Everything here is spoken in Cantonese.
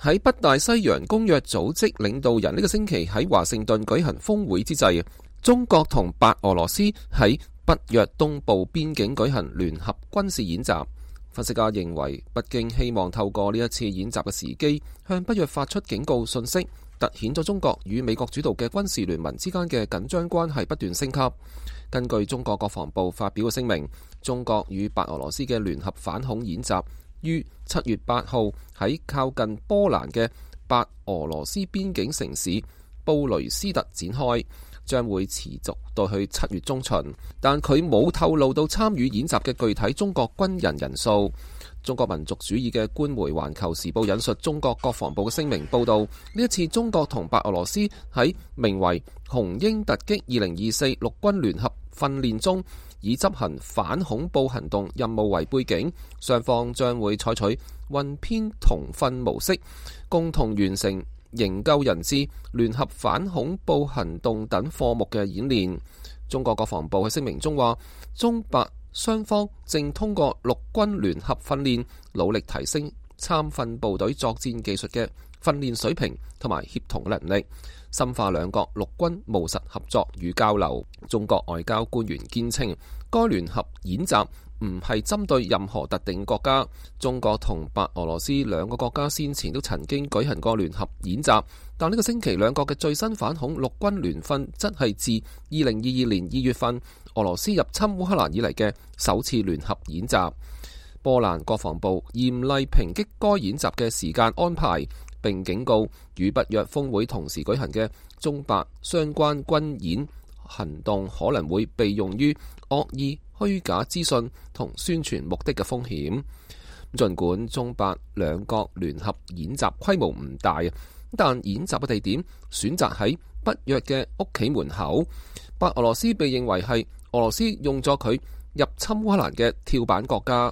喺北大西洋公約組織領導人呢個星期喺華盛頓舉行峰會之際，中國同白俄羅斯喺北約東部邊境舉行聯合軍事演習。分析家認為，北京希望透過呢一次演習嘅時機，向北約發出警告信息，凸顯咗中國與美國主導嘅軍事聯盟之間嘅緊張關係不斷升級。根據中國國防部發表嘅聲明，中國與白俄羅斯嘅聯合反恐演習於7月8號喺靠近波蘭嘅白俄羅斯邊境城市布雷斯特展開，將會持續到去7月中旬，但佢冇透露到參與演習嘅具體中國軍人人數。中國民族主義嘅官媒《環球時報》引述中國國防部嘅聲明報道，呢一次中國同白俄羅斯喺名為紅鷹突擊2024陸軍聯合訓練中，以執行反恐怖行動任務為背景，雙方將會採取混編同訓模式，共同完成營救人質、聯合反恐怖行動等科目嘅演練。中國國防部喺聲明中話，中白雙方正通過陸軍聯合訓練，努力提升參訓部隊作戰技術嘅訓練水平同埋協同能力，深化兩國陸軍務實合作與交流。中國外交官員堅稱，該聯合演習唔係針對任何特定國家。中國同白俄羅斯兩個國家先前都曾經舉行過聯合演習，但呢個星期兩國嘅最新反恐陸軍聯訓則係自2022年2月份俄羅斯入侵烏克蘭以嚟嘅首次聯合演習。波蘭國防部嚴厲抨擊該演習嘅時間安排，並警告與北約峰會同時舉行嘅中白相關軍演行動可能會被用於惡意虛假資訊同宣傳目的嘅風險。儘管中白兩國聯合演習規模唔大，但演習嘅地點選擇喺北約嘅屋企門口。白俄羅斯被認為係俄羅斯用咗佢入侵烏克蘭嘅跳板國家。